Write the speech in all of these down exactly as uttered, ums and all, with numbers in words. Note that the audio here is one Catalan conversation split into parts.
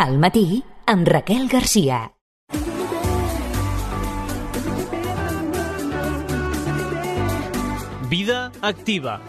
Al matí, amb Raquel Garcia. Vida activa.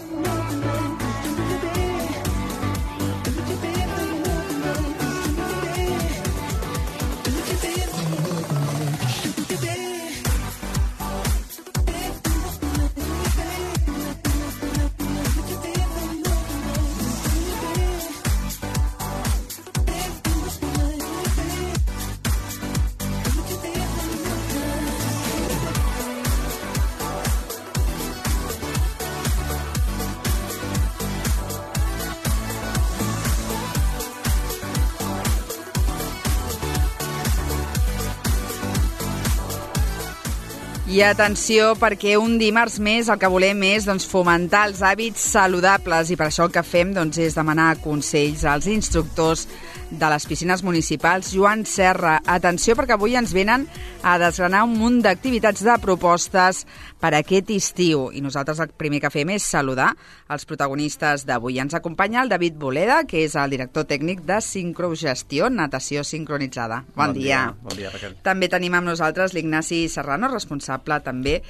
I atenció, perquè un dimarts més el que volem és doncs, fomentar els hàbits saludables i per això el que fem doncs, és demanar consells als instructors de les piscines municipals. Joan Serra, atenció perquè avui ens venen a desgranar un munt d'activitats de propostes per aquest estiu i nosaltres el primer que fem és saludar els protagonistes d'avui. Ens acompanya el David Boleda, que és el director tècnic de Sincrogestió, natació sincronitzada. Bon, bon dia. dia. Bon dia, Raquel. També tenim amb nosaltres l'Ignasi Serrano, responsable també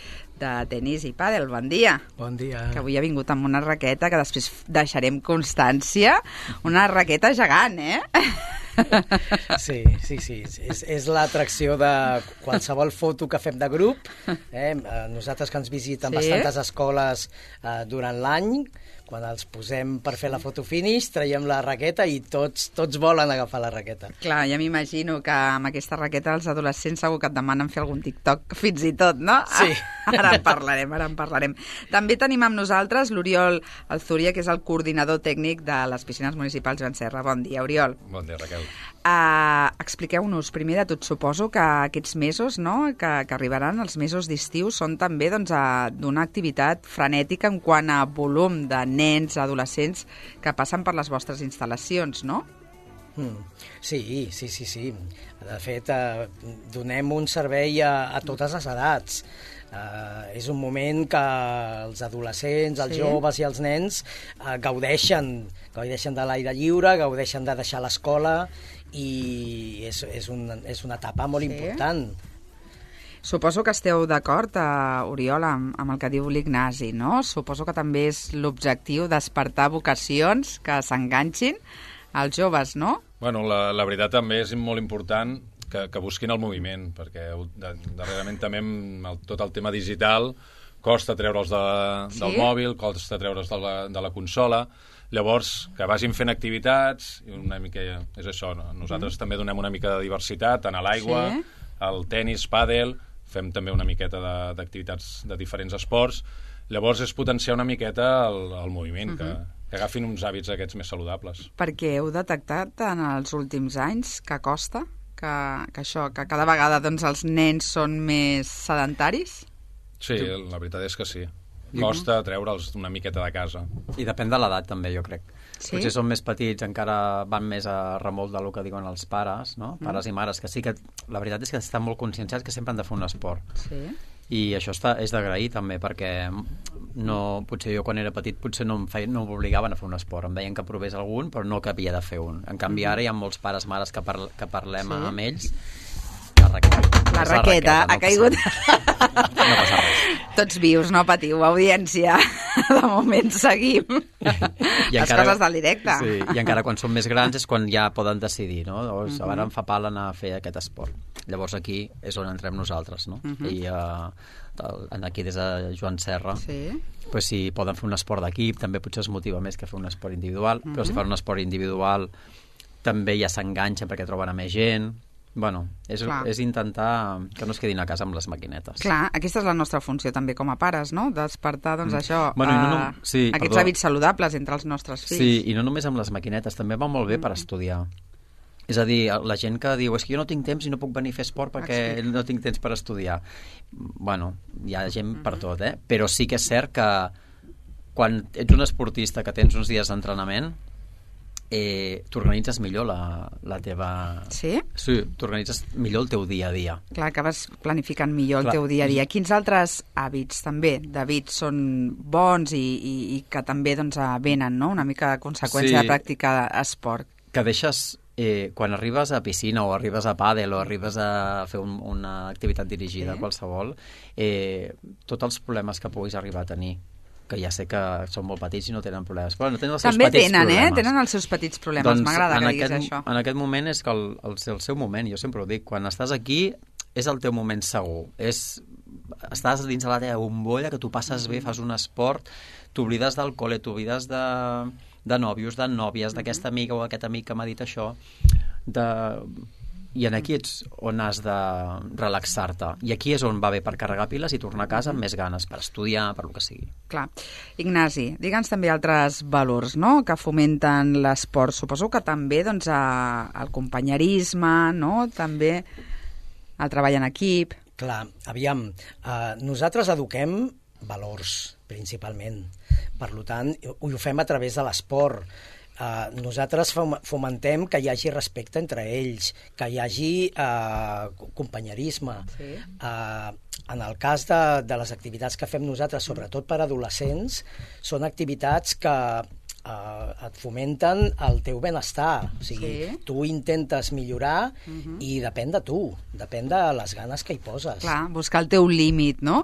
de tenis i pàdel. Bon dia. Bon dia. Que avui ha vingut amb una raqueta que després deixarem constància. Una raqueta gegant, eh? Sí, sí, sí. És, és l'atracció de qualsevol foto que fem de grup. Eh? Nosaltres que ens visiten sí? bastantes escoles eh, durant l'any, quan els posem per fer la foto finish, traiem la raqueta i tots tots volen agafar la raqueta. Clar, ja m'imagino que amb aquesta raqueta els adolescents segur que et demanen fer algun TikTok fins i tot, no? Sí. Ara en parlarem, ara en parlarem. També tenim amb nosaltres l'Oriol Alzúria, que és el coordinador tècnic de les piscines municipals Joan Serra. Bon dia, Oriol. Bon dia, Raquel. Uh, expliqueu-nos, primer de tot, suposo que aquests mesos, no?, que, que arribaran, els mesos d'estiu, són també doncs, d'una activitat frenètica en quant a volum de nens, adolescents que passen per les vostres instal·lacions, no? Mm. Sí, sí, sí, sí. De fet, eh, donem un servei a, a totes les edats. Eh, és un moment que els adolescents, els sí? joves i els nens eh, gaudeixen, gaudeixen de l'aire lliure, gaudeixen de deixar l'escola i és, és, un, és una etapa molt sí? important. Suposo que esteu d'acord, uh, Oriol, amb, amb el que diu l'Ignasi, no? Suposo que també és l'objectiu despertar vocacions que s'enganxin als joves, no? Bueno, la, la veritat també és molt important que, que busquin el moviment, perquè de, darrerament també amb el, tot el tema digital costa treure'ls de, sí? del mòbil, costa treure'ls de la, de la consola. Llavors, que vagin fent activitats, i una mica és això, no? Nosaltres mm. també donem una mica de diversitat, tant a l'aigua, sí? al tenis, pàdel, fem també una miqueta d'activitats de, de diferents esports. Llavors és potenciar una miqueta el, el moviment, uh -huh. que, que agafin uns hàbits aquests més saludables. Perquè heu detectat en els últims anys que costa? Que, que això, que cada vegada doncs, els nens són més sedentaris? Sí, la veritat és que sí. Costa treure'ls una miqueta de casa. I depèn de l'edat, també, jo crec. Sí? Potser són més petits, encara van més a remolc del que diuen els pares, no? Pares mm. i mares, que sí que... La veritat és que estan molt conscienciats que sempre han de fer un esport. Sí. I això està, és d'agrair, també, perquè no, potser jo, quan era petit, potser no m'obligaven a fer un esport. Em deien que provés algun, però no que havia de fer un. En canvi, ara hi ha molts pares, mares que, parl que parlem sí? amb ells. La raqueta. La raqueta, no ha caigut. No passa res. Tots vius, no patiu, audiència. De moment seguim. I les encara, coses del directe. Sí, i encara quan són més grans és quan ja poden decidir, no? Llavors, uh -huh. ara em fa pal anar a fer aquest esport. Llavors aquí és on entrem nosaltres, no? Uh -huh. I uh, aquí des de Joan Serra, sí? pues, si poden fer un esport d'equip, també potser es motiva més que fer un esport individual, uh -huh. però si fan un esport individual també ja s'enganxen perquè troben a més gent. Bueno, és, és intentar que no es quedin a casa amb les maquinetes. Clar, aquesta és la nostra funció també com a pares, no? Despertar, doncs, mm. això, bueno, no, no, sí, aquests perdó. hàbits saludables entre els nostres fills. Sí, i no només amb les maquinetes, també va molt bé mm. per estudiar. És a dir, la gent que diu és que jo no tinc temps i no puc venir a fer esport perquè Explica. no tinc temps per estudiar. Bueno, hi ha gent mm-hmm. per tot, eh? Però sí que és cert que quan ets un esportista que tens uns dies d'entrenament, eh, t'organitzes millor la, la teva... Sí? Sí, t'organitzes millor el teu dia a dia. Clar, acabes planificant millor Clar. el teu dia a dia. Quins altres hàbits també, David, són bons i, i, i que també doncs, venen, no? Una mica de conseqüència sí. de practicar esport? Que deixes eh, quan arribes a piscina o arribes a pàdel o arribes a fer un, una activitat dirigida, Sí. qualsevol, eh, tots els problemes que puguis arribar a tenir, que ja sé que són molt petits i no tenen problemes, però no tenen els seus També petits tenen, problemes. eh? Tenen els seus petits problemes. Doncs M'agrada en que diguis aquest, això. En aquest moment és que el, el, el seu moment, jo sempre ho dic, quan estàs aquí és el teu moment segur. És, estàs dins de la teva bombolla, que tu passes bé, fas un esport, t'oblides del col·le, t'oblides de, de nòvios, de nòvies, d'aquesta amiga o aquest amic que m'ha dit això, de... i en aquí ets on has de relaxar-te. I aquí és on va bé per carregar piles i tornar a casa amb més ganes, per estudiar, per lo que sigui. Clar. Ignasi, digue'ns també altres valors, no?, que fomenten l'esport. Suposo que també, doncs, a, el companyerisme, no?, també el treball en equip. Clar, aviam, eh, nosaltres eduquem valors, principalment. Per tant, ho, ho fem a través de l'esport. Uh, nosaltres fomentem que hi hagi respecte entre ells, que hi hagi uh, companyerisme. Sí. Uh, en el cas de, de les activitats que fem nosaltres, sobretot per adolescents, són activitats que uh, et fomenten el teu benestar. O sigui, Sí. tu intentes millorar uh-huh. i depèn de tu, depèn de les ganes que hi poses. Clar, buscar el teu límit, no?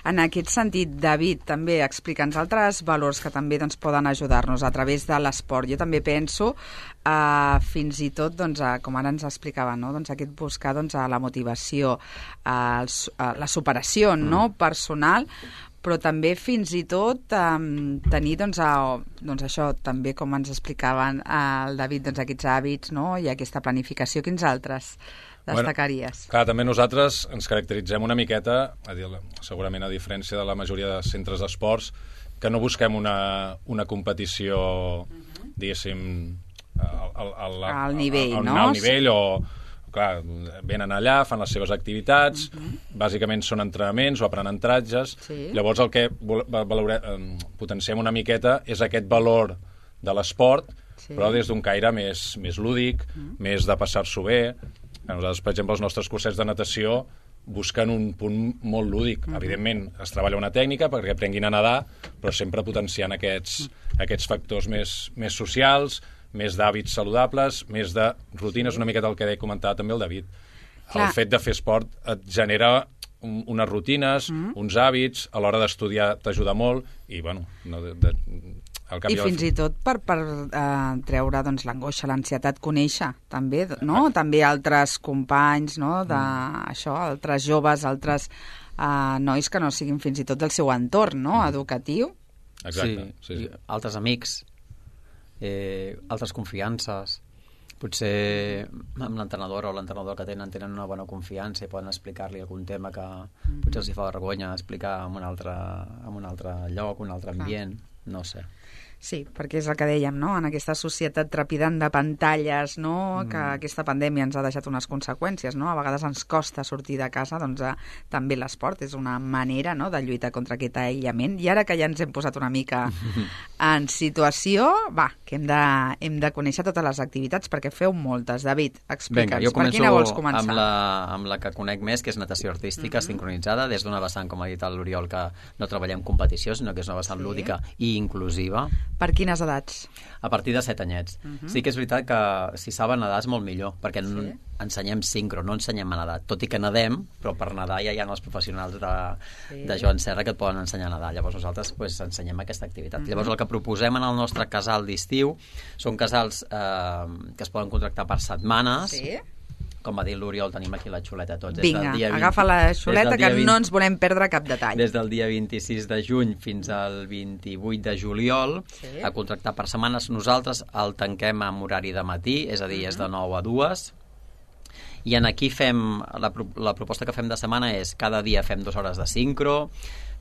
En aquest sentit, David, també explica'ns altres valors que també doncs, poden ajudar-nos a través de l'esport. Jo també penso, eh, fins i tot, doncs, a, com ara ens explicava, no? Doncs aquest buscar doncs, a la motivació, a, els, a la superació mm. no? personal, però també fins i tot um, tenir, doncs, a, doncs això, també com ens explicaven el David, doncs aquests hàbits, no?, i aquesta planificació. Quins altres destacaries? Bueno, clar, també nosaltres ens caracteritzem una miqueta, a dir, segurament a diferència de la majoria de centres d'esports, que no busquem una, una competició, uh-huh. diguéssim, al, al, al, al nivell, al, al, no? Al nivell o... Clar, venen allà, fan les seves activitats, uh-huh. bàsicament són entrenaments o aprenentatges. Sí. Llavors el que valore, potenciem una miqueta és aquest valor de l'esport, sí. però des d'un caire més, més lúdic, uh-huh. més de passar-s'ho bé. Nosaltres, per exemple, els nostres cursets de natació busquen un punt molt lúdic. Uh-huh. Evidentment, es treballa una tècnica perquè aprenguin a nedar, però sempre potenciant aquests, uh-huh. aquests factors més, més socials, més d'hàbits saludables, més de rutines, una miqueta el que deia comentar també el David. Clar. El fet de fer esport et genera un, unes rutines, mm. uns hàbits, a l'hora d'estudiar t'ajuda molt, i bueno, no, de, de, al cap i fins i tot per, per uh, treure doncs, l'angoixa, l'ansietat, conèixer també, no? Ah. També altres companys, no? De, mm. això, altres joves, altres uh, nois que no siguin fins i tot del seu entorn, no? Mm. Educatiu. Exacte. Sí, sí, sí. altres amics, eh, altres confiances. Potser amb l'entrenadora o l'entrenador que tenen tenen una bona confiança i poden explicar-li algun tema que mm-hmm. potser els hi fa vergonya explicar en un altre, en un altre lloc, un altre ambient, Clar. No sé. Sí, perquè és el que dèiem, no? En aquesta societat trepidant de pantalles, no? Mm. Que aquesta pandèmia ens ha deixat unes conseqüències, no? A vegades ens costa sortir de casa, doncs eh, també l'esport és una manera, no?, de lluitar contra aquest aïllament. I ara que ja ens hem posat una mica en situació, va, que hem de, hem de conèixer totes les activitats, perquè feu moltes. David, explica'ns, per quina vols començar? Amb la, amb la que conec més, que és natació artística, mm-hmm. sincronitzada, des d'una vessant, com ha dit l'Oriol, que no treballem competició, sinó que és una vessant sí. lúdica i inclusiva. Per quines edats? A partir de set anyets. Uh-huh. Sí que és veritat que si saben nedar és molt millor, perquè sí. ensenyem sincro, no ensenyem a nedar. Tot i que nedem, però per nedar ja hi ha els professionals de, sí. de Joan Serra que et poden ensenyar a nedar. Llavors nosaltres pues, ensenyem aquesta activitat. Uh-huh. Llavors el que proposem en el nostre casal d'estiu són casals eh, que es poden contractar per setmanes. Sí. Com va dir l'Oriol, tenim aquí la xuleta tots. Vinga, des del dia vint, agafa la xuleta que vint, no ens volem perdre cap detall. Des del dia vint-i-sis de juny fins al vint-i-vuit de juliol, sí. a contractar per setmanes. Nosaltres el tanquem amb horari de matí, és a dir, uh-huh. és de nou a dues. I en aquí fem, la, la proposta que fem de setmana és cada dia fem dues hores de sincro,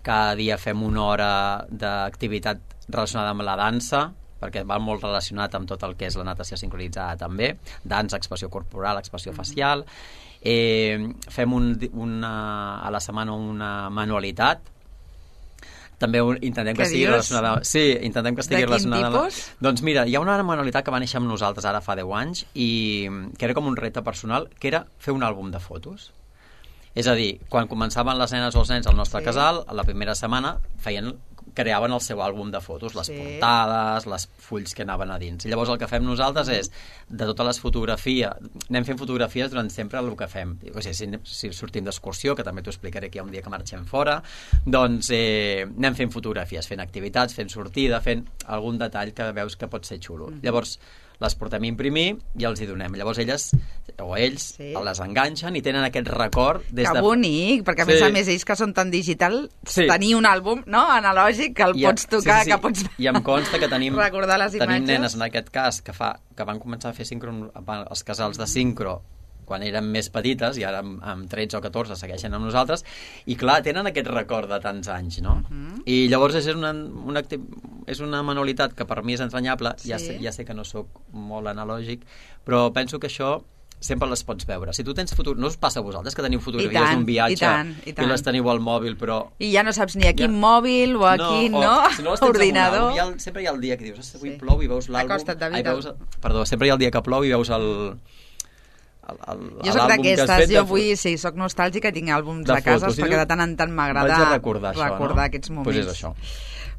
cada dia fem una hora d'activitat relacionada amb la dansa, perquè va molt relacionat amb tot el que és la natació sincronitzada també, dansa, expressió corporal, expressió facial. Eh, fem un, una, a la setmana una manualitat, també un, intentem que, que estigui relacionada... Sí, intentem que estigui relacionada... De quin tipus? Doncs mira, hi ha una manualitat que va néixer amb nosaltres ara fa deu anys i que era com un repte personal, que era fer un àlbum de fotos. És a dir, quan començaven les nenes o els nens al nostre sí. casal, a la primera setmana feien creaven el seu àlbum de fotos, les Sí. portades, les fulls que anaven a dins. I llavors el que fem nosaltres és, de totes les fotografies, anem fent fotografies durant sempre el que fem. O sigui, si, si sortim d'excursió, que també t'ho explicaré aquí un dia que marxem fora, doncs eh, anem fent fotografies, fent activitats, fent sortida, fent algun detall que veus que pot ser xulo. Mm-hmm. Llavors, les portem a imprimir i els hi donem. Llavors elles, o ells, Sí. les enganxen i tenen aquest record des Que de... bonic, perquè a Sí. més a més ells que són tan digital, Sí. tenir un àlbum, no?, analògic, que el I, pots tocar, sí, sí, sí. que pots I em consta que tenim, recordar les tenim imatges. nenes, en aquest cas, que, fa, que van començar a fer sincro, els casals de sincro quan eren més petites, i ara amb, amb tretze o catorze segueixen amb nosaltres, i clar, tenen aquest record de tants anys, no? Uh -huh. I llavors és una, una, acti- és una manualitat que per mi és entranyable, Sí. ja, sé, ja sé que no sóc molt analògic, però penso que això sempre les pots veure. Si tu tens foto... No us passa a vosaltres que teniu fotografies tant, d'un viatge i tant, i tant. les teniu al mòbil, però... I ja no saps ni a quin Ja. mòbil o a quin, no? o, si no les tens Ordinador. Damunt, hi ha, el- sempre hi ha el dia que dius, "Ostres, avui Sí. plou", i veus l'àlbum... Acosta't, David. Ai, veus, perdó, sempre hi ha el dia que plou i veus el... el, el Jo soc l'àlbum que has d'aquestes, fet de jo fo- vull, sí, soc nostàlgica i tinc àlbums de de, cases, fotos. I perquè dius, de tant en tant m'agrada vaig a recordar això, recordar no? aquests moments. Pues és això.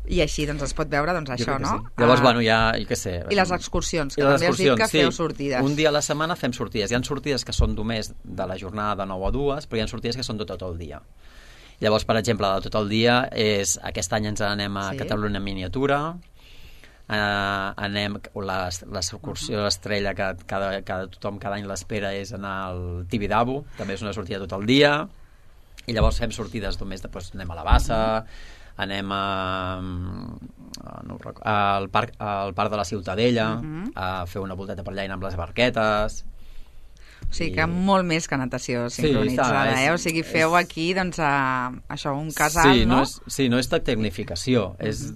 I així, doncs, es pot veure, doncs, Jo això, crec que no? sí. Llavors, Ah, bueno, ja, jo què sé... I les excursions, que I les també has dit que excursions, feu sí. sortides. Un dia a la setmana fem sortides. Hi ha sortides que són només de la jornada de nou a dues, però hi ha sortides que són de tot el dia. Llavors, per exemple, de tot el dia és... Aquest any ens n'anem a Sí. Catalunya en miniatura, Uh, anem, l'excursió de l'Estrella que cada, cada, tothom cada any l'espera és anar al Tibidabo, també és una sortida tot el dia, i llavors fem sortides només de, doncs, anem a la Bassa, anem a, a no, ho recordo, al, parc, al parc de la Ciutadella, Uh-huh. a fer una volteta per allà i anar amb les barquetes. O sigui I- que molt més que natació Sí, sincronitzada, està, eh? és- O sigui, feu és- aquí, doncs, a, això, un casal, sí, no? no és, sí, no és de tecnificació, és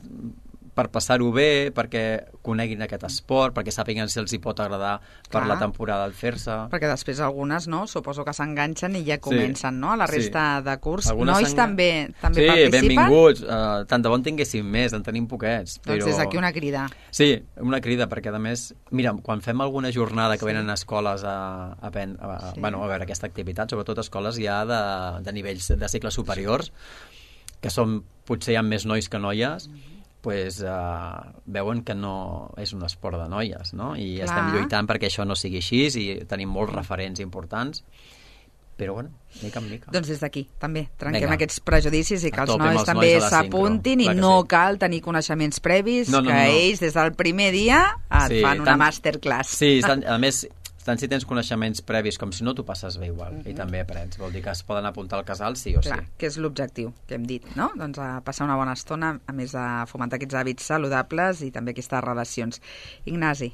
per passar-ho bé, perquè coneguin aquest esport, perquè sàpiguen si els hi pot agradar per Clar. la temporada al fer-se. Perquè després algunes, no? Suposo que s'enganxen i ja comencen, no? A la sí. resta de curs. Algunes Nois s'engan- també també sí, participen? benvinguts. Uh, tant de bon tinguéssim més, en tenim poquets. Doncs però... des d'aquí una crida. Sí, una crida, perquè a més, mira, quan fem alguna jornada que Sí. venen a escoles a, a, pen, a, Sí. bueno, a veure aquesta activitat, sobretot escoles ja de, de nivells de cicles superiors, que són, potser hi ha més nois que noies, pues, uh, veuen que no és un esport de noies, no? I Clar. estem lluitant perquè això no sigui així i tenim molts referents importants, però bueno, mica en mica. Doncs des d'aquí, també, trenquem Vinga. aquests prejudicis i que A els tope amb nois els també nois de la s'apuntin i sincro, clar que no sí. cal tenir coneixements previs, No, no, que no, no. ells des del primer dia et Sí, fan una tant- masterclass. Sí, tant, a més, tant si tens coneixements previs com si no, t'ho passes bé igual. I també aprens. Vol dir que es poden apuntar al casal sí o sí. Clar, que és l'objectiu que hem dit, no? Doncs a passar una bona estona, a més de fomentar aquests hàbits saludables i també aquestes relacions. Ignasi,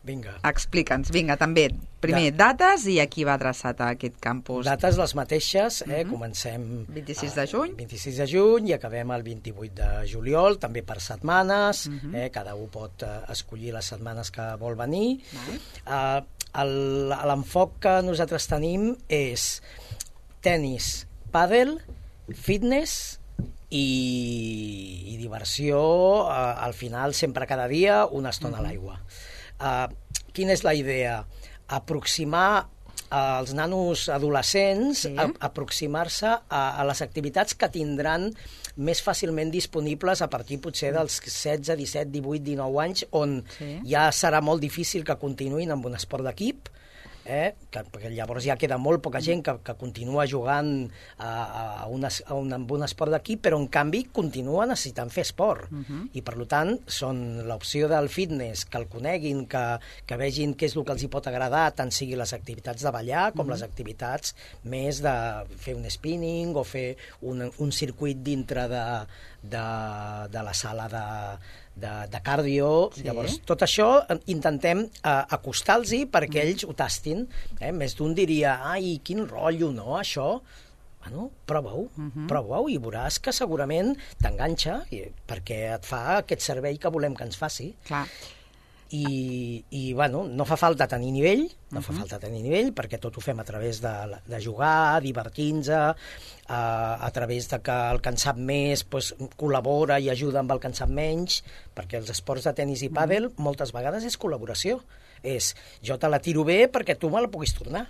Vinga. explica'ns, vinga, també, primer, Da- dates i a qui va adreçat a aquest campus. Dates les mateixes, eh? Mhm. Comencem... vint-i-sis eh, de juny. vint-i-sis de juny i acabem el vint-i-vuit de juliol, també per setmanes, Mhm. eh? Cada un pot eh, escollir les setmanes que vol venir. Vale. Eh, el- L'enfoc que nosaltres tenim és tennis, pàdel, fitness i, i diversió, eh, al final, sempre cada dia, una estona a l'aigua. Uh, quina és la idea? Aproximar als nanos adolescents, Sí. a, aproximar-se a, a les activitats que tindran més fàcilment disponibles a partir potser dels setze, disset, divuit, dinou anys, on Sí. ja serà molt difícil que continuïn amb un esport d'equip, eh? que, perquè llavors ja queda molt poca gent que, que continua jugant a, a, un, es- a, un, amb un esport d'equip, però en canvi continua necessitant fer esport. Uh -huh. I per tant són l'opció del fitness, que el coneguin, que, que vegin què és el que els hi pot agradar, tant sigui les activitats de ballar com uh -huh. les activitats més de fer un spinning o fer un, un circuit dintre de, de, de la sala de de, de cardio. Sí. Llavors, tot això eh, intentem eh, acostar-los perquè ells ho tastin. Eh? Més d'un diria, ai, quin rotllo, no, això? Bueno, prova-ho, Mhm. prova-ho i veuràs que segurament t'enganxa i- perquè et fa aquest servei que volem que ens faci. Clar. I, i bueno, no fa falta tenir nivell, no Mhm. fa falta tenir nivell, perquè tot ho fem a través de, de jugar, divertint-nos, a, a través de que el que en sap més pues, col·labora i ajuda amb el que en sap menys, perquè els esports de tennis i pàdel moltes vegades és col·laboració. És, jo te la tiro bé perquè tu me la puguis tornar.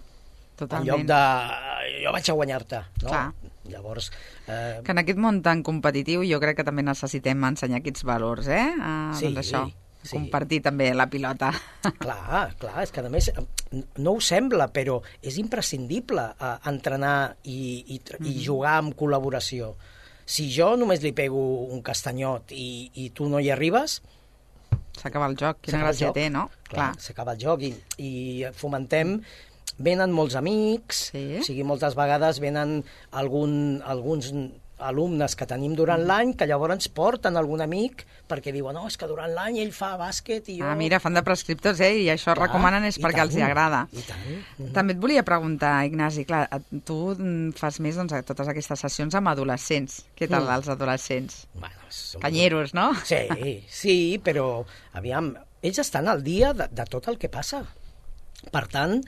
Totalment. En lloc de, jo vaig a guanyar-te. No? Clar. Llavors... Eh... Que en aquest món tan competitiu jo crec que també necessitem ensenyar aquests valors, eh? Uh, sí, doncs això, sí. compartir també la pilota. Clar, clar, és que a més no ho sembla, però és imprescindible uh, entrenar i, i, i jugar amb col·laboració. Si jo només li pego un castanyot i, i tu no hi arribes... S'acaba el joc, quina gràcia té, no? Clar, clar. S'acaba el joc i, i fomentem... Venen molts amics, sí. O sigui, moltes vegades venen algun, alguns alumnes que tenim durant mm. l'any que llavors ens porten algun amic perquè diuen, no, és que durant l'any ell fa bàsquet i jo... Ah, mira, fan de prescriptors, eh? I això clar, recomanen és perquè tant, els hi agrada. I tant. Mm-hmm. També et volia preguntar, Ignasi, clar, tu fas més doncs, totes aquestes sessions amb adolescents. Què tal mm. els adolescents? Bueno, som... Canyeros, no? Sí, sí, però, aviam, ells estan al dia de, de tot el que passa. Per tant,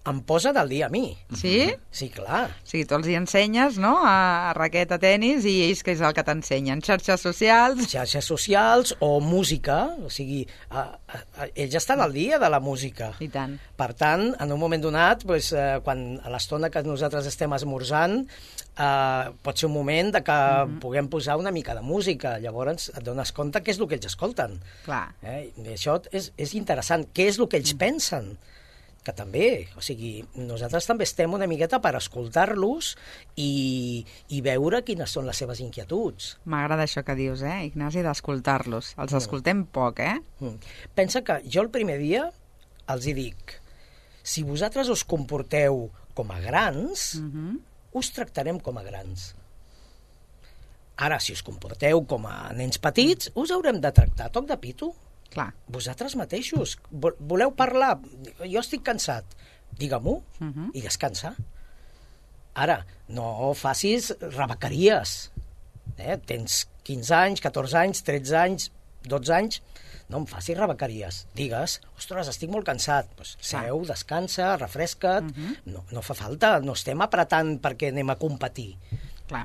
em posa del dia a mi. Sí? Sí, clar. O sigui, tu els hi ensenyes, no?, a raqueta, a tenis, i ells què és el que t'ensenyen? Xarxes socials? Xarxes socials o música. O sigui, a, a, a, ells estan al dia de la música. I tant. Per tant, en un moment donat, pues, eh, quan a l'estona que nosaltres estem esmorzant, eh, pot ser un moment de que mm-hmm. puguem posar una mica de música. Llavors et dones compte què és el que ells escolten. Clar. Eh? I això és, és interessant. Què és el que ells mm. pensen? Que també, o sigui, nosaltres també estem una miqueta per escoltar-los i, i veure quines són les seves inquietuds. M'agrada això que dius, eh, Ignasi, d'escoltar-los. Els mm. escoltem poc, eh? Mm. Pensa que jo el primer dia els hi dic, si vosaltres us comporteu com a grans, mm-hmm. us tractarem com a grans. Ara, si us comporteu com a nens petits, us haurem de tractar toc de pito. Clar. Vosaltres mateixos. Voleu parlar? Jo estic cansat. Digue-m'ho uh-huh. i descansa. Ara, no facis rebequeries. Eh? Tens quinze anys, catorze anys, tretze anys, dotze anys, no em facis rebequeries. Digues, ostres, estic molt cansat. Pues, seu, descansa, refresca't. Uh-huh. no, no fa falta, no estem apretant perquè anem a competir. Clar.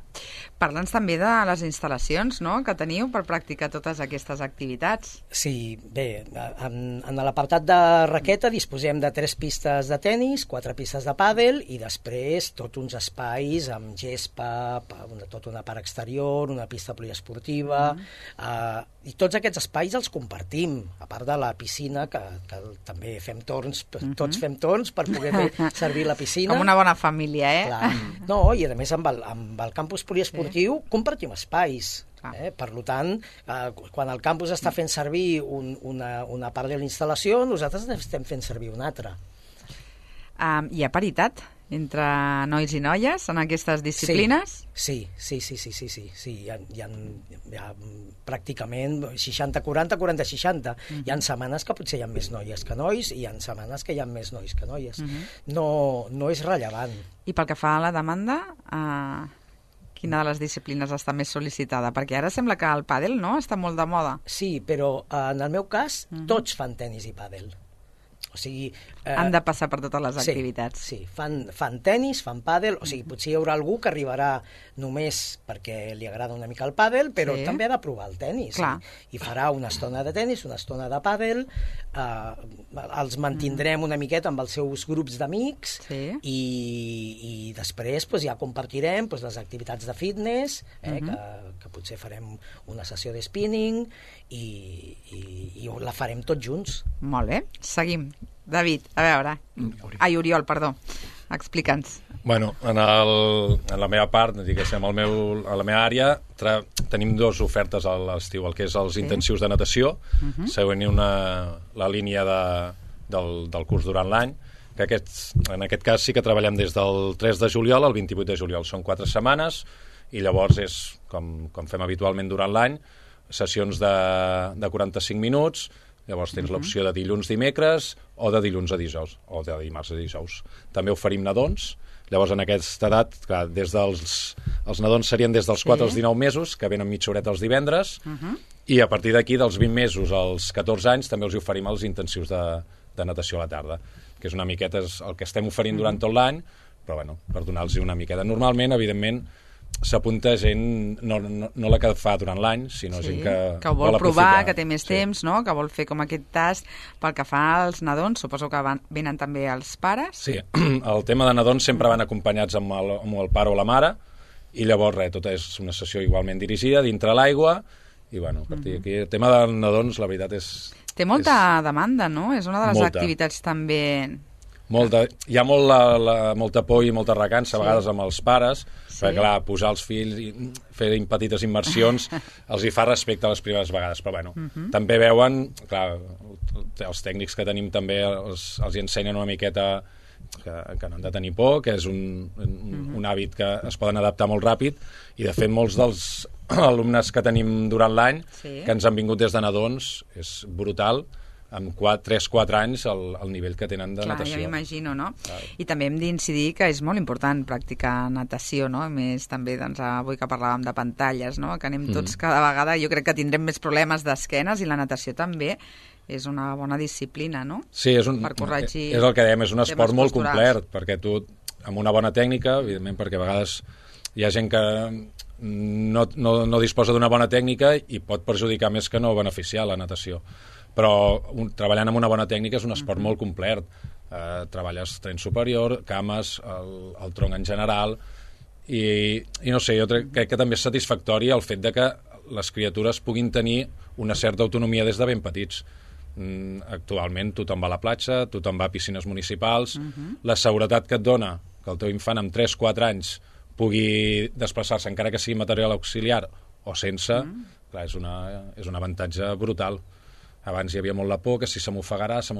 Parla'ns també de les instal·lacions, no?, que teniu per practicar totes aquestes activitats. Sí, bé, en, en l'apartat de raqueta disposem de tres pistes de tenis, quatre pistes de pàdel i després tots uns espais amb gespa, tota una part exterior, una pista poliesportiva, mm. eh, i tots aquests espais els compartim, a part de la piscina, que, que també fem torns, mm-hmm. tots fem torns per poder servir la piscina. Com una bona família, eh? Clar. No, i a més amb el, amb el campus poliesportiu sí. compartim espais. Eh? Per tant, eh, quan el campus està fent servir un, una, una part de la instal·lació, nosaltres estem fent servir una altra. Um, hi ha paritat entre nois i noies en aquestes disciplines? Sí, sí, sí, sí, sí, sí, sí. Hi ha, hi ha, hi ha pràcticament seixanta quaranta, quaranta seixanta. Uh-huh. Hi ha setmanes que potser hi ha més noies que nois i hi ha setmanes que hi ha més nois que noies. Uh-huh. No, no és rellevant. I pel que fa a la demanda, eh, quina de les disciplines està més sol·licitada? Perquè ara sembla que el pàdel, no?, està molt de moda. Sí, però eh, en el meu cas uh-huh. tots fan tenis i pàdel. O sigui, eh, han de passar per totes les sí, activitats. Sí, fan, fan tenis, fan pàdel, o sigui, potser hi haurà algú que arribarà només perquè li agrada una mica el pàdel, però sí. també ha de provar el tenis. I, I farà una estona de tenis, una estona de pàdel, eh, els mantindrem una miqueta amb els seus grups d'amics sí. i, i després pues, ja compartirem pues, les activitats de fitness, eh, uh-huh. que, que potser farem una sessió de spinning i, i, i la farem tots junts. Molt bé, seguim. David, a veure... Ai, Oriol, perdó. Explica'ns. Bueno, en, el, en la meva part, diguéssim, al meu, a la meva àrea, tra, tenim dues ofertes a l'estiu, el que és els sí. intensius de natació, uh-huh. següent una, la línia de, del, del curs durant l'any, que aquests, en aquest cas sí que treballem des del tres de juliol al vint-i-vuit de juliol. Són quatre setmanes i llavors és, com, com fem habitualment durant l'any, sessions de, de quaranta-cinc minuts. Llavors tens uh-huh. l'opció de dilluns dimecres o de dilluns a dijous, o de dimarts a dijous. També oferim nadons. Llavors, en aquesta edat, clar, des dels, els nadons serien des dels quatre sí. als dinou mesos, que venen mitja horeta els divendres, uh-huh. i a partir d'aquí, dels vint mesos als catorze anys, també els oferim els intensius de, de natació a la tarda, que és una miqueta el que estem oferint uh-huh. durant tot l'any, però bueno, per donar-los una miqueta. Normalment, evidentment, s'apunta gent, no, no, no la que fa durant l'any, sinó sí, gent que, que ho vol, vol provar, aprofitar. Que té més sí. temps, no? Que vol fer com aquest tast. Pel que fa als nadons, suposo que van, venen també els pares? Sí, el tema de nadons sempre van acompanyats amb el, amb el pare o la mare, i llavors res, tota és una sessió igualment dirigida dintre l'aigua, i bueno, a partir d'aquí, el tema dels nadons, la veritat és... Té molta és... demanda, no? És una de les molta. activitats també... Molta, hi ha molt la, la, molta por i molta recança, sí. a vegades amb els pares, sí. perquè clar, posar els fills i fer petites immersions els hi fa respecte a les primeres vegades, però bueno, uh -huh. també veuen, clar, els tècnics que tenim també els, els hi ensenyen una miqueta que, que no han de tenir por, que és un, un, uh -huh. un hàbit que es poden adaptar molt ràpid, i de fet molts dels alumnes que tenim durant l'any, sí. que ens han vingut des de nadons, és brutal, amb tres quatre anys el, el nivell que tenen de Clar, natació. Ja m'imagino, no? Clar. I també hem d'incidir que és molt important practicar natació, no? A més, també, doncs, avui que parlàvem de pantalles, no? Que anem tots mm. cada vegada, jo crec que tindrem més problemes d'esquenes, i la natació també és una bona disciplina, no? Sí, és, un, per corregir és el que dèiem, és un esport molt posturals. complet, perquè tu, amb una bona tècnica, evidentment, perquè a vegades hi ha gent que no, no, no disposa d'una bona tècnica i pot perjudicar més que no beneficiar la natació. Però un, treballant amb una bona tècnica és un esport uh -huh. molt complet. Eh, treballes tren superior, cames, el, el tronc en general, i, i no sé, jo crec, crec que també és satisfactori el fet de que les criatures puguin tenir una certa autonomia des de ben petits. Mm, actualment tothom va a la platja, tothom va a piscines municipals, uh -huh. la seguretat que et dona que el teu infant amb tres quatre anys pugui desplaçar-se, encara que sigui material auxiliar o sense, uh -huh. clar, és, una, és un avantatge brutal. Abans hi havia molt la por que si se m'ofegarà, se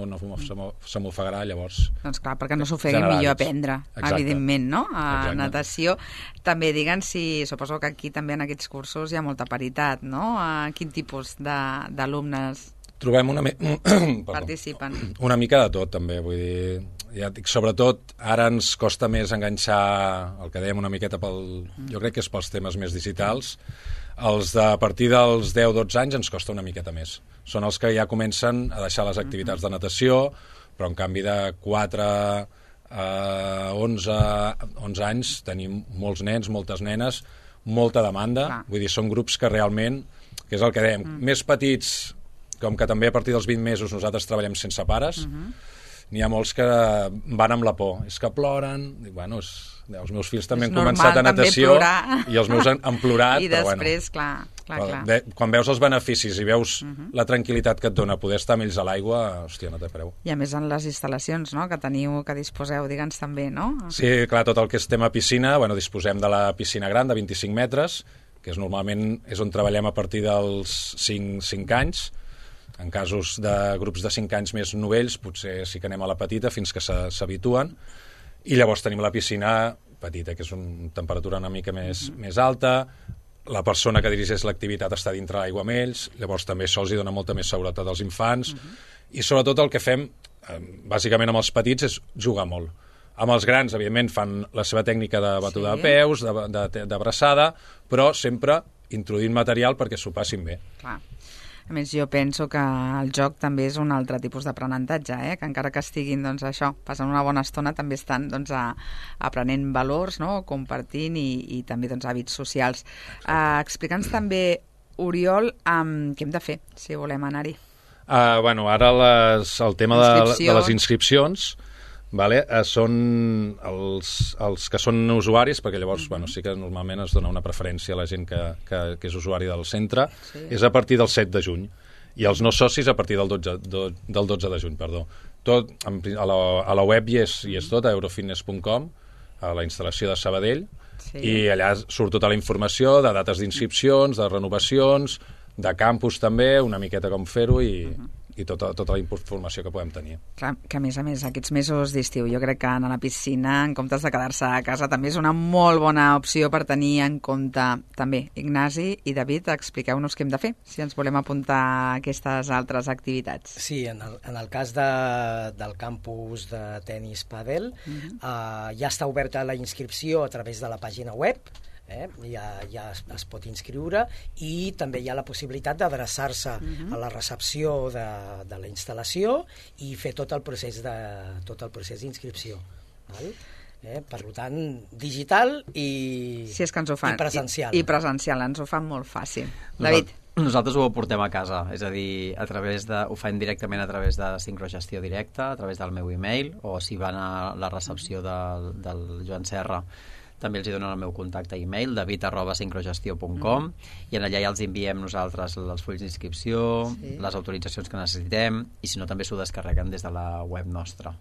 m'ofegarà, llavors... Doncs clar, perquè no s'ofegui, millor aprendre, Exacte. evidentment, no? A Exacte. natació. També diguen si, suposo que aquí també en aquests cursos hi ha molta paritat, no? A quin tipus d'alumnes trobem una... participen? Una mica de tot, també, vull dir... Ja dic, sobretot, ara ens costa més enganxar el que dèiem una miqueta pel... Jo crec que és pels temes més digitals. Els de a partir dels deu dotze anys ens costa una miqueta més. Són els que ja comencen a deixar les activitats de natació, però en canvi de quatre a onze anys tenim molts nens, moltes nenes, molta demanda. Clar. Vull dir, són grups que realment, que és el que dèiem, mm. més petits, com que també a partir dels vint mesos nosaltres treballem sense pares, mm-hmm. n'hi ha molts que van amb la por. És que ploren, dic, bueno, és... Els meus fills també és han començat a natació plorar. I els meus han, han plorat. I però després, bueno, clar, clar, però, clar. De, quan veus els beneficis i veus uh -huh. la tranquil·litat que et dona poder estar amb ells a l'aigua, hòstia, no té preu. I a més en les instal·lacions, no?, que teniu, que disposeu, digue'ns també, no? Sí, clar, tot el que és tema piscina, bueno, disposem de la piscina gran de vint-i-cinc metres, que és normalment és on treballem a partir dels cinc anys. En casos de grups de cinc anys més novells, potser sí que anem a la petita fins que s'habituen. I llavors tenim la piscina petita, que és una temperatura una mica més, uh-huh. més alta, la persona que dirigeix l'activitat està dintre l'aigua amb ells, llavors també això els hi dona molta més seguretat als infants, uh-huh. i sobretot el que fem, eh, bàsicament amb els petits, és jugar molt. Amb els grans, evidentment, fan la seva tècnica de batuda sí. de peus, d'abraçada, però sempre introduint material perquè s'ho passin bé. Clar. A més, jo penso que el joc també és un altre tipus d'aprenentatge, eh? Que encara que estiguin, doncs, això, passant una bona estona, també estan, doncs, a, aprenent valors, no?, compartint i, i també, doncs, hàbits socials. Uh, Explica'ns també, Oriol, um, què hem de fer si volem anar-hi? Uh, bueno, ara les, el tema de, de les inscripcions, vale, uh, són els, els que són usuaris, perquè llavors uh-huh. bueno, sí que normalment es dona una preferència a la gent que, que, que és usuari del centre, sí. és a partir del set de juny, i els no socis a partir del dotze, do, del dotze de juny, perdó. Tot, a la, a la web hi és, hi és tot, a eurofitness punt com, a la instal·lació de Sabadell, sí. i allà surt tota la informació de dates d'inscripcions, de renovacions, de campus també, una miqueta com fer-ho, i... Uh-huh. i tota, tota la informació que podem tenir. Clar, que a més a més aquests mesos d'estiu jo crec que anar a la piscina en comptes de quedar-se a casa també és una molt bona opció per tenir en compte també. Ignasi i David, expliqueu-nos què hem de fer si ens volem apuntar a aquestes altres activitats. Sí, en el, en el cas de, del campus de tenis pàdel uh-huh. eh, ja està oberta la inscripció a través de la pàgina web. Eh? Ja, ja es, es pot inscriure i també hi ha la possibilitat d'adreçar-se uh-huh. a la recepció de, de la instal·lació i fer tot el procés de tot el procés d'inscripció. Val? Eh? Per tant, digital i, sí, és que ens ho fan. i presencial. I, I presencial, ens ho fan molt fàcil. David? Nosaltres ho portem a casa, és a dir, a través de, ho fan directament a través de sincrogestió directa, a través del meu e-mail, o si van a la recepció del, del Joan Serra, també els hi donen el meu contacte e-mail, david arroba sincrogestió punt com, mm. i en allà ja els enviem nosaltres els fulls d'inscripció, sí. les autoritzacions que necessitem, i si no també s'ho descarreguen des de la web nostra.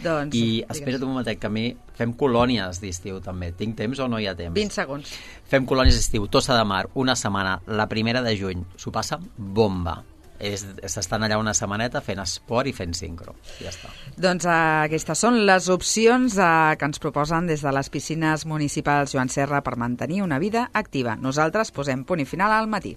Doncs, I espera't un momentet, que a mi fem colònies d'estiu també. Tinc temps o no hi ha temps? vint segons. Fem colònies d'estiu, Tossa de Mar, una setmana, la primera de juny. S'ho passa bomba. S'estan allà una setmaneta fent esport i fent sincro. Ja està. Doncs eh, aquestes són les opcions eh, que ens proposen des de les piscines municipals Joan Serra per mantenir una vida activa. Nosaltres posem punt i final al matí.